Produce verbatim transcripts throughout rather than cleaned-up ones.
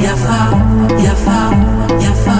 Yafa, yafa, yafa.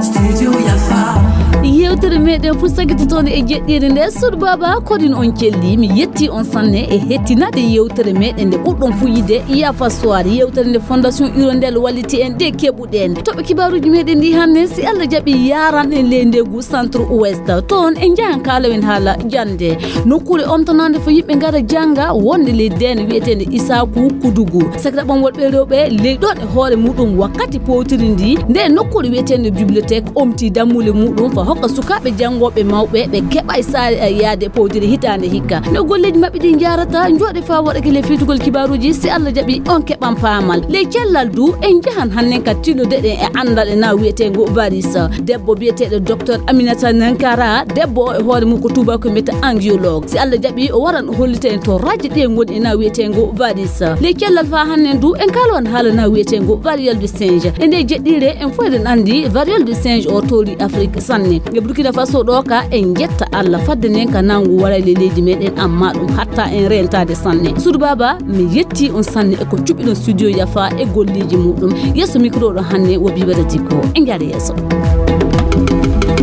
Studio Yafa. Yewtere meɗen fuu sakkitotoonde e jeɗɗiire nde. Suudu Baaba, koɗin on celli. Mi yetti on sanne e hettinaade yewtere meɗen nde ɓurɗon fuu yiɗde, Yafa Soir. Yewtere nde Fondation Hirondelle walliti en, nde keɓuɗen. Toɓɓe kibaaruuji meɗen ɗi hannde, si Allah jaɓi, yaaran en ley ndeengu Centre Ouest. Toon en njahan kaalowen haala jannde. Nokkuure omtanaande fo yimɓe ngara jannga wonde ley deene wiyeteende Isaaku Kudugu. Sakiraaɓe am worɓe e rewɓe, ley ɗoon e hoore muɗum wakkati powtiri ndi, nde nokkuure wiyeteende bibliothèque omti dammuule muɗum fa hokka sukaaɓe janngooɓe mawɓe ɓe keɓaay saare e yaade powtiri hitaande hikka. No golleeji maɓɓe ɗi njahrata, njooɗe faa waɗake ley fiiltugol kibaaruuji, si Allah jaɓi on keɓan paamal. Ley cellal du, en njahan hannden ka tillude ɗen e anndal e na wiyeteengo varis. Debbo biyeteeɗo Docteur Aminata Nankara, debbo o e hoore mum ko tuubaako mbiyata angiologue. Si Allah jaɓi, o waran o hollita en torraaji ɗi e ngoni e na wiyeteengo varis. Ley cellal faa hannden du, en kaalowan haala na wiyeteengo variole du singe. E nde jeɗɗiire, en fof eɗen anndi variole du singe o toori Afrik sanne. E Burkina Faso ɗo ka, en njetta Allah fadde nden ka nangu waray ley leydi meɗen, amma ɗum hatta en rentaade sanne. Suudu Baaba, mi yetti on sanne e ko cuɓiɗon Studio Yafa e golleeji muɗum. Yeeso micro ɗo hannden wo Biba Dadiko. En njaha yeeso.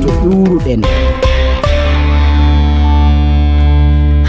To ƴuuruɗen.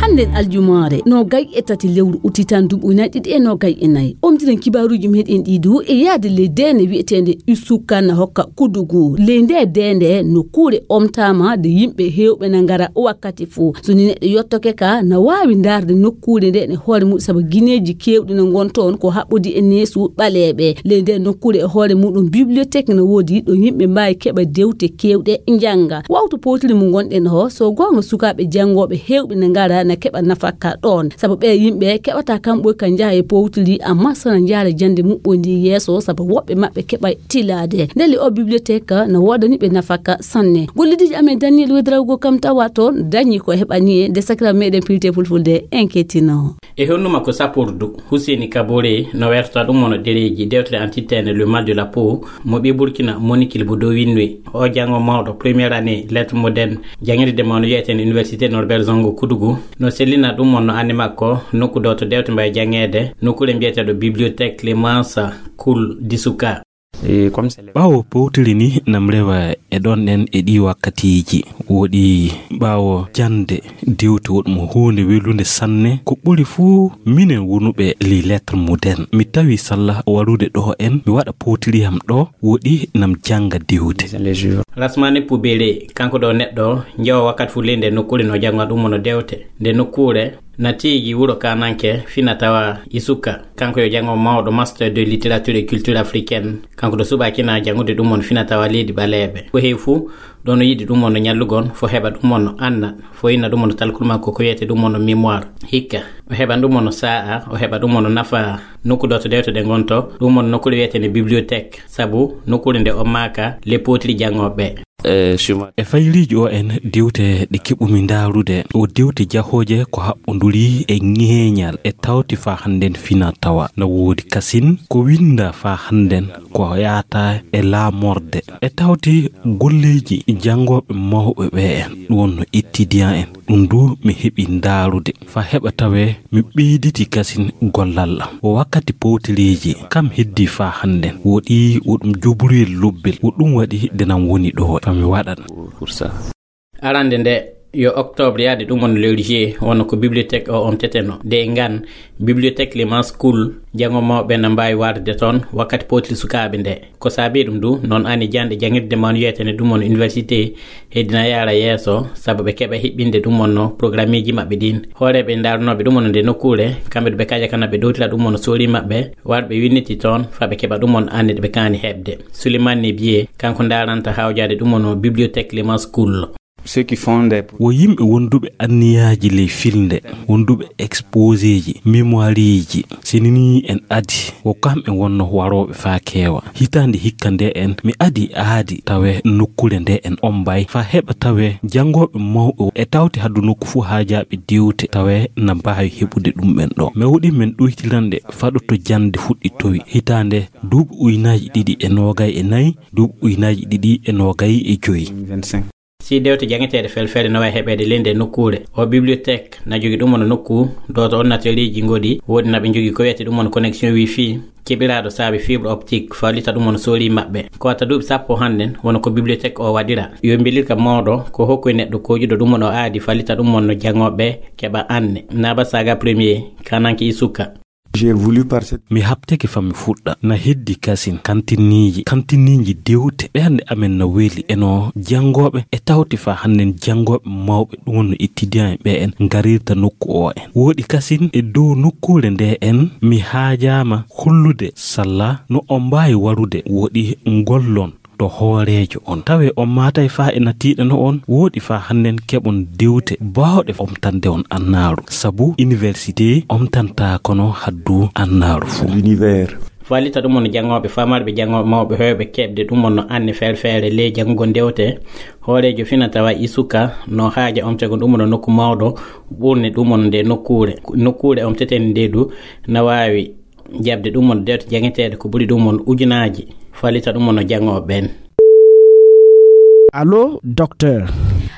Hannden aljumaare, noogay e tati lewru uti tan duuɓi ujunaaji ɗiɗi e noogay e nayi. Omtiren kibaaruuji meɗen ɗi du e yahde ley deende wiyeteende Isuka na hokka Kudugu. Ley nde deende nokkuure omtaama de yimɓe heewɓe na ngara wakkati fof. So ni neɗɗo yottoke ka, na waawi ndaarde nokkuure nde e hoore mum, sabu gineeji keewɗi no ngon toon ko haɓɓodi e neesu ɓaleeɓe. Ley nde nokkuure e hoore muɗum, bibliothèque no woodi ɗo yimɓe mbaawi keɓa dewte keewɗe njannga. Wawtu powtiri mo ngonɗen o, so goonga sukaaɓe janngooɓe heewɓe na ngara na keɓa nafaka ɗoon, sabu ɓee yimɓe keɓata kamɓe ka njaha e powtiri, amma so na njaara jannde muɓɓondi yeeso, sabu woɓɓe maɓɓe keɓa tilaade. Ndelle o bibliothèque no woodani ɓe nafaka sanne. Gollidiiji amen Daniel Wedrago kam tawa toon dañi ko heɓani e nde sakira meɗen pilte fulfulde en kettino. E honnu makko sappordu, Husseini Kabore no werta ɗum wano ɗereeji dewtere antitteende Le Mal de la Peau, mo ɓii Burkina Monique Bodo winndi. O janngo mawɗo première année lettres modernes, janngirde mawɗo wiyeteende Université Norbert Zongo Kudugu, no sellina ɗum wano annde makko nokku ɗo to dewte mbawi janngeede, nokkuure mbiyeteeɗo Bibliothèque Clémence Coul d'Issouka. Ɓaawo powtiri ni nam rewa e ɗon ɗen e ɗi wakkatiiji. Woɗi ɓaawo jannde dewte woɗmo huunde welunde sanne. Ko ɓuri fuu minen wonuɓe les lettres modernes. Mi tawi salla warude ɗo en, mi waɗa powtiri am ɗo, woɗi nam jannga dewte. Rasmani Pubere, kanko ɗo neɗɗo, njewa wakkati fuu ley nde nokkuure no jannga ɗum wano dewte. Nde nokkuure, na tiigi wuro Kananke, fina tawa Isuka. Kanko yo janngo mawɗo Master de Littérature et Culture Africaine. Kanko ɗo suɓaaki na janngude ɗum wano fina tawa leydi ɓaleeɓe. Ko heewi fuu, ɗo no yiɗi ɗum wano ñallugon, fo heɓa ɗum wano anna, fo inna ɗum wano talkul makko ko wiyete ɗum wano mémoire. Hikka, o heɓa ɗum wano sa'a, o heɓa ɗum wano nafa nokku ɗo to dewte ɗe ngonto, ɗum wano nokkuure wiyeteende bibliothèque, sabu nokkuure nde o maaka le potiri janngooɓe. E fayliiji o en dewte ɗe keɓumi ndaarude, o dewte jahooje ko haɓɓonduri e ŋeeñal e tawti faa hannden fina tawa. Na woodi kasin ko winnda faa hannden ko yaata e laamorde. E tawti golleeji janngooɓe mawɓe ɓe en, ɗum wonno étudiant en. Ɗum du mi heɓi ndaarude. Faa heɓa tawee mi ɓeyditi kasin gollal am. O wakkati powtiriiji kam heddi faa hannden. Woɗi wo ɗum joburuyel lobbel. Wo ɗum waɗi nde nam woni ɗo. Faa mi waɗan. Arande nde yo octobre yaade ɗum woni lewru juillet, wonno ko bibliothèque o omteteno. Nde e ngan, bibliothèque Clémence Coul, janngo mawɓe na mbaawi warde toon wakkati powtiri sukaaɓe nde. Ko saabii ɗum du, noon ani jannde janngirde mawni wiyetene ɗum woni université, heddina yaara yeeso, sabu ɓe keɓa hiɓɓinde ɗum wonno programmeeji maɓɓe ɗin. Hooreeɓe ndaarunooɓe ɗum wonno nde nokkuure, kamɓe ɗo ɓe kaja kana ɓe ɗowtira ɗum wonno soori maɓɓe, warɓe winniti toon, faa ɓe keɓa ɗum wonno annde ɗe ɓe kaani heɓde. Souleymane Nebier, kanko ndaaranta hawjaade ɗum wonno bibliothèque Clémence Coul. Ceux qui font des Wo yimɓe wonduɓe anniyaaji ley filnde, wonduɓe exposéji, mémoireji, sinini en adi, wo kamɓe wonno warooɓe faa keewa. Hitaande hikka nde en, mi adi aadi tawe nokkuure nde en ombay, faa heɓa tawe janngooɓe mawɓe e tawti haddu nokku fuu haajaaɓe dewte tawe na mbaawi heɓude ɗum ɓen ɗo. Mi waɗi men ɗoytirande faɗoto jannde fuɗɗi towi. Hitaande duuɓi ujunaaji ɗiɗi e noogay e nayi, duuɓi ujunaaji ɗiɗi e noogay e joyi. Si dewte jangeteeɗe felfele no wawi heɓeede ley nde nokkuure, o bibliothèque na jogi ɗum wano nokku, dooto ordinateur eji ngoɗi, woodi na ɓe jogi ko wiyete ɗum wano connexion wifi, keɓiraaɗo saabi fibre optique, fallita ɗum wano soori maɓɓe. Ko watta duuɓi sappo hannden, wano ko bibliothèque o waɗira. Yo mbelirka mawɗo, ko hokkoy neɗɗo kojuɗo ɗum wano aadi, fallita ɗum wano jangooɓe keɓa anne. Naba Saga premier, Kananke Isuka. J'ai voulu par cette Mi habteke fa mi fuɗɗa. Na heddi kasin kantiniiji, kantiniiji dewte. Ɓernde amen na weli. Eno janngooɓe e tawti fa hannden janngooɓe mawɓe, ɗum wonno étudiant en ɓe en ngarirta nokku o en. Wooɗi kasin e dow nokkuure nde en, mi haajaama hollude salla no on mbaawi warude. Wooɗi ngollon to hooreejo on. Tawe on maatay faa e natiiɗe no on, wooɗi faa hannden keɓon dewte baawɗe omtande on annaaru. Sabu université omtantaa kono haddu annaaru fuu. L'univers. Fallita ɗum on janngooɓe, famarɓe janngooɓe mawɓe heewɓe keɓde ɗum on no anne feere feere ley janngugol dewte. Hooreejo fina tawa Isuka no haaja omtegol ɗum on nokku mawɗo ɓurne ɗum on nde nokkuure. Nokkuure omteten nde du na waawi jaɓde ɗum on dewte jangeteeɗe ko ɓuri ɗum on ujunaaji, fallita ɗum on no janngooɓe ɓen. Allo, docteur.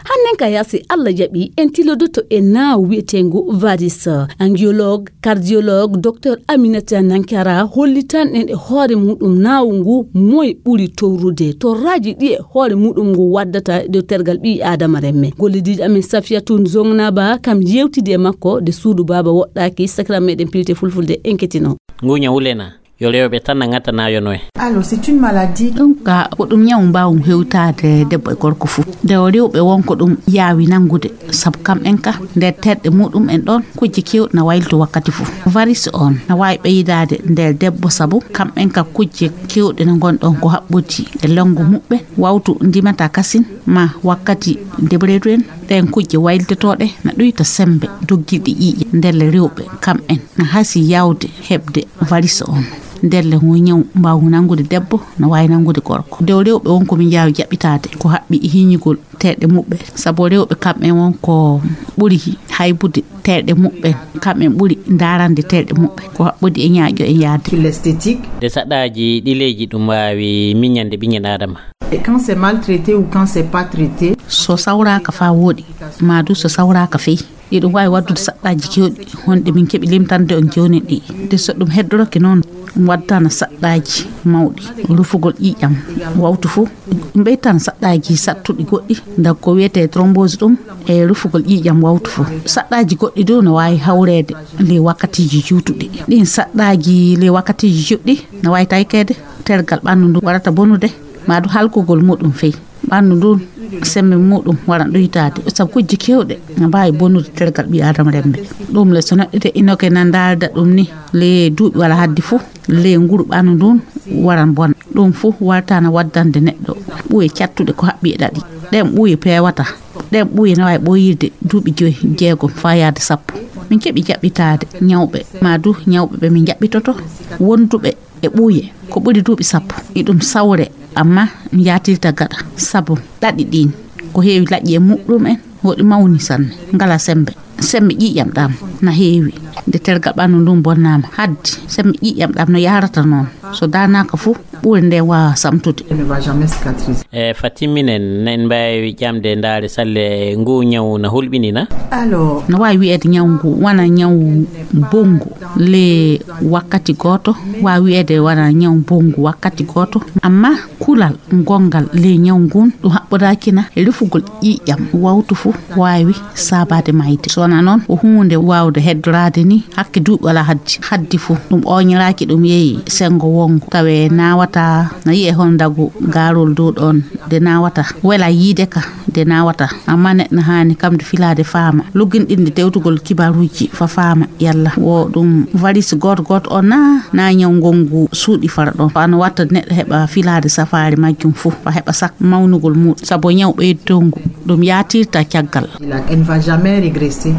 Hannen ka yaasi Allah jaɓi en tilodoto e naawu wi'eteengu varis. Angiologue, cardiologue, docteur Aminata Nankara hollitan en e hoore muɗum naawu ngu moy ɓuri towrude, torraaji ɗi e hoore muɗum ngu waddata e dow tergal ɓii Aadama remme. Gollidiiɗo amen Safiyatu Zongnaba kam yewtidi e makko de suudu baaba woɗɗaaki sakira meɗen pilte fulfulde enketino. Ngu ñawu le na yo rewɓe tan na ŋata na yo noy? Alors, c'est une maladie. Ɗum ka ko ɗum ñawu mbaawum hewtaade debbo e gorko fuu. Nde o rewɓe won ko ɗum yaawi nanngude, sabu kamɓen ka nder terɗe muɗum en ɗon kujje keewɗe na waylito wakkati fuu. Varis on na waawi ɓeydaade nder debbo, sabu kamɓen ka kujje keewɗe na ngon ɗon ko haɓɓodi e lonngo muɓɓen, wawtu ndimata kasin, ma wakkati debreedu en, ɗen kujje waylitotooɗe na ɗuyta sembe doggiiɗe ƴiiƴe. Ndelle rewɓe kamɓen na hasi yawde heɓde varis on. Ndelle ngu ñaw mbaawu nanngude debbo, na waawi nanngude gorko. Nde o rewɓe won ko min njaawi jaɓɓitaade ko haɓɓi e hiñugol terɗe muɓɓen, sabu rewɓe kamɓen won ko ɓuri haybude terɗe muɓɓen, kamɓen ɓuri ndaarande terɗe muɓɓen, ko haɓɓodi e ñaaƴo e yaade. Sur l'esthétique. Nde saɗɗaaji ɗi leyji ɗum waawi miñande ɓiñel Aadama. Et quand c'est maltraité ou quand c'est pas traité. So sawraaka faa wooɗi, maa du so sawraaka fey, iɗum waawi waddude saɗɗaaji keewɗi, honɗe min keɓi limtande on jooni ɗi. Nde so ɗum heddorake noon, ɗum waddana saɗɗaaji mawɗi, rufugol ƴiiƴam wawtu fuu. Ɗum ɓeytan saɗɗaaji saɗtuɗi goɗɗi, nda ko wiyetee thrombose ɗum, e rufugol ƴiiƴam wawtu fuu. Saɗɗaaji goɗɗi du no waawi hawreede ley wakkatiiji juutuɗi. Ɗin saɗɗaaji ley wakkatiiji juutɗi no waawi taykeede, tergal ɓanndu ndu warata bonude, maa du halkugol muɗum fey. Ɓanndu ndun, sembe muɗum wara ɗuytaade, sabu kujje keewɗe na mbaawi bonude tergal ɓii Aadama remme. Ɗum le so neɗɗo te inoke na ndaalda ɗum ni, le duuɓi wala haddi fuu, le nguru ɓanndu ndun waran bona. Ɗum fuu warta na waddande neɗɗo ɓuye cattuɗe ko haɓɓi e ɗaɗi. Ɗen ɓuye peewata. Ɗen ɓuye na waawi ɓooyirde duuɓi joy, jeegom faa yaade sappo. Min keɓi jaɓɓitaade ñawɓe, maa du ñawɓe ɓe min jaɓɓitoto, wonduɓe e ɓuuye ko ɓuri duuɓi sappo. Iɗum sawre, amma mi yaatirta gaɗa, sabu ɗaɗi ɗin ko heewi laƴƴi e muɗum en, woɗi mawni sanne, ngala sembe. Sembe ƴiiƴam ɗam na heewi. Nde tergal ɓanndu ndun bonnaama, haddi sembe ƴiiƴam ɗam no yahrata noon. So daanaaka fuu, ɓuure nden waawa samtude. Elle ne va jamais cicatriser. E fa timminen, na en mbaawi ƴamde ndaare salle ngu ñawu na hulɓini na? Alors. No waawi wiyeede ñawu ngu wona ñawu bonngu le wakkati gooto, waawi wiyeede wona ñawu bonngu wakkati gooto, amma kulal gonngal le ñawu ngun ɗum haɓɓodaaki na e rufugol ƴiiƴam wawtu fuu waawi saabaade mayde. So wonaa noon, ko huunde waawde heddoraade ni hakke duuɓi wala haddi. Haddi fuu, ɗum ooñiraaki, ɗum yehi senngo wonngo. Tawe naawata, na yi'e hono ndagu gaarol dow ɗoon, nde naawata. Wela yiide ka, nde naawata. Amma neɗɗo haani kam nde filaade faama. Lugginɗinde tewtugol kibaruuji fa faama yalla wo ɗum varis gooto gooto on na, na ñaw ngongu suuɗi fara ɗon. Ko ano watta neɗɗo heɓa filaade safaari majjum fuu, fa heɓa sak mawnugol muuɗum. Sabu ñaw ɓeydongu, ɗum yaatirta caggal. Elle va jamais régresser.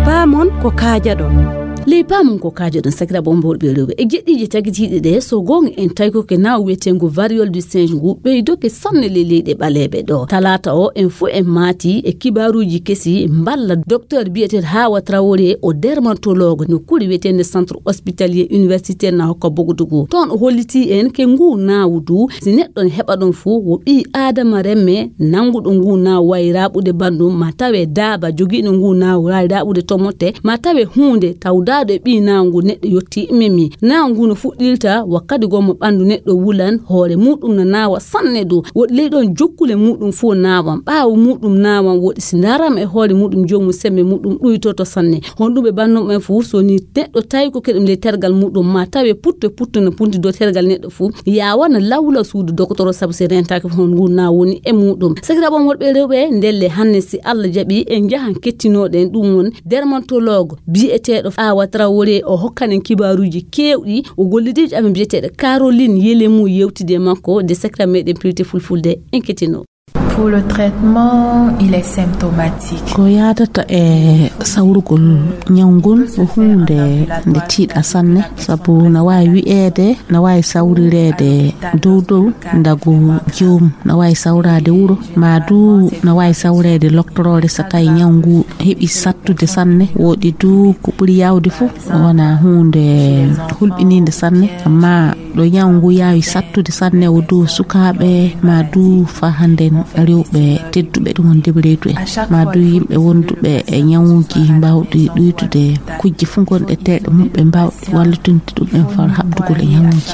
Paamon ko kaajaɗon. Ley paamon ko kaajoɗon, sakiraaɓe on worɓe e rewɓe, e geɗiiji tagitiiɗi ɗe, so goonga en tawi ko ke naaw wiyeteengu variole du singe ngu ɓeydoke sanne ley leyɗe ɓaleeɓe ɗo. Talaata o en fof en maati e kibaaruuji kesi mballa docteur biyeteeɗo Hawa Traoré, o dermatologue no kuri wiyeteende centre hospitalier universitaire na hokka Bogodougou. Toon o hollitii en ke ngu naawdu, si neɗɗo ne heɓa ɗon fof, wo ɓii Aadama remme nannguɗo ngu naaw waawi raaɓude banndum, ma tawe daaba jogiiɗo ngu naaw waawi raaɓude tomote, ma tawe huunde tawdaaɗo e ɓii naaw ngu neɗɗo yottii memi. Naaw ngu no fuɗɗirta wakkati gommo ɓanndu neɗɗo wulan, hoore muɗum no naawa sanne du. Woɗi ley ɗon jokkule muɗum fof naawan, ɓaawo muɗum naawan, woɗi si ndaram e hoore muɗum joomum semme muɗum ɗuytoto sanne. Honɗum ɓe banndum en fof so ni neɗɗo tawi ko keɗum ley tergal muɗum, ma tawe putto e putto no punti dow tergal neɗɗo fof, yaawana lawla suudu dokotoro sabu si rentaaki fof hon ngu na woni e muɗum. Sakiraaɓe am worɓe e rewɓe, ndelle hannde si Allah jaɓi en njahan kettinooɗen ɗum won dermatologue biyeteeɗo Awa Traoré, o hokkanen kibaaruuji keewɗi, o gollidiijo amen biyeteeɗo Caroline Yelemu yewtide e makko de sakiraaɓe meɗen piwte fulfulde en kettinoo. Pour le traitement, il est symptomatique. Ko yaadata e sawrugol ñaw ngun ko huunde nde tiiɗa sanne, sabu na waawi wiyeede, na waawi sawrireede dow dow ndagu joom, na waawi sawraade wuro, ma du na waawi sawreede loktoroore so tawi ñaw ngu heɓi sattude sanne. Woɗi du ko ɓuri yaawde fof wona huunde hulɓiniinde sanne, amma ɗo ñaw ngu yaawi sattude sanne o du sukaaɓe ma du fa hannden rewɓe tedduɓe ɗum on debreedu en, ma du yimɓe wonduɓe e ñawuuji mbaawɗi ɗuytude kujje fof gonɗe teeɗe muɓɓe mbaawɗi wallitinde ɗum en far haɓdugol e ñawuuji.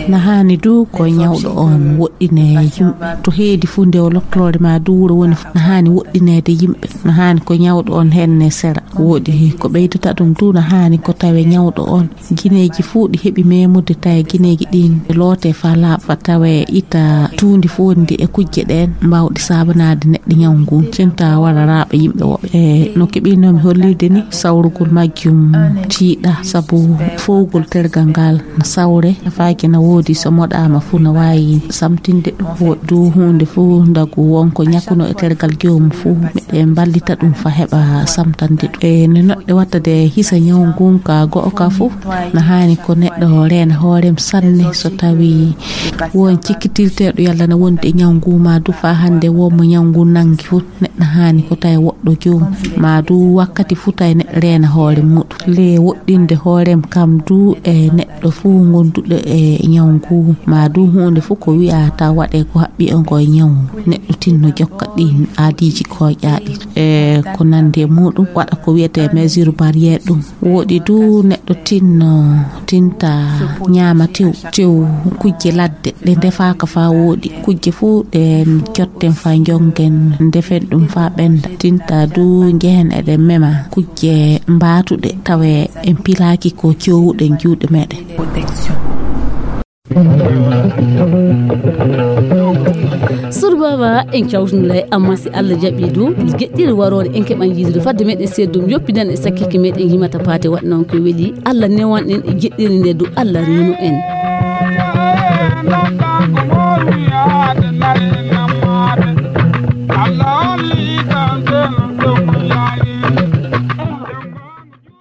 Na haani du ko ñawɗo on woɗɗine yimɓe to heedi fof nde o loktoroore ma du wuro woni fof, na haani woɗɗineede yimɓe, na haani ko ñawɗo on henne sera. Woɗi ko ɓeydata ɗum du na haani ko tawe ñawɗo on gineeji fof ɗi heɓi memude, tawi gineeji ɗin loote fa laaɓa, tawe ita tuundi fof ndi e kujje ɗen mbaawɗi saabanaade neɗɗo ñaw ngun, tinta wara raaɓa yimɓe woɓɓe. E no keɓinomi hollirde ni, sawrugol majjum tiiɗa, sabu fowgol tergal ngal na sawre, nafaaki na woodi, so moɗaama fof na waawi samtinde ɗum. Woɗi du huunde fof ndagu wonko ñakkuno e tergal joomum fof, meɗen mballita ɗum fa heɓa samtande ɗum. E no neɗɗo watta de hisa ñaw ngun ka go'o ka fof, na haani ko neɗɗo reena hoorem sanne. So tawi won cikkitirteeɗo yalla na wondi e ñaw ngu ma du fa hannde won mo ñaw ngu nangi fof, neɗɗo haani ko tawi woɗɗo joom ma du wakkati fof tawi neɗɗo reena hoore muɗum. Le woɗɗinde hoorem kam du e neɗɗo fof gonduɗo e ñaw ngu ma du huunde fof ko wi'a taw waɗe ko haɓɓi on ko e ñaw, neɗɗo tinno jokka ɗin aadiiji koƴaaɗi e ko nandi e muɗum, waɗa ko wiyete mesure barrière ɗum. Woɗi du neɗɗo tinno, tinta ñaama tew, tew kujje ladde ɗe ndefaaka fa woɗi. Kujje fof ɗen cotten fa jongen, ndefen ɗum fa ɓenda. Tinta du njehen eɗen mema kujje mbaatuɗe tawe en pilaaki ko cowuɗen juuɗe meɗen. Surbaba en cawtundilay, amma si Allah jaɓi du geɗɗiri waroore en keɓan yiidude fadde meɗen seedum yoppidan e sakkike meɗen yimata paate waɗ noon ko weli. Allah newan en e geɗɗiri nde du Allah reno en.